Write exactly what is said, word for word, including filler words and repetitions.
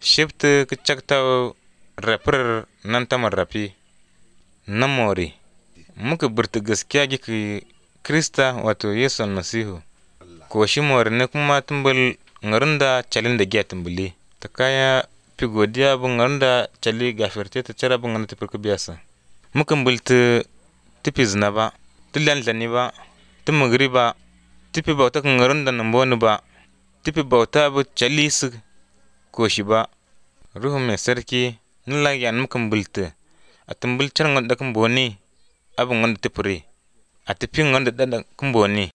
shibta ka chakta rapir nan tamar rapi na mori muka burta gaskiya gi Krista wato Yesu almasihu ko shi mori ne kuma tumbul ngarinda chalinda giya tumbuli ta kaya fi godiya bu ngarinda chali gafirte ta cara bu ngarinda tafi biyasa muka bulta tifi zina ba tilan lani ba timugri ba tifi bauta kan ngarinda namboni ba tifi bauta bu chali su ko shi ba ruhu mai sarki nila yan muka bulta a tumbul char nganda kan boni abu nganda tifiri a tifi nganda dada kan boni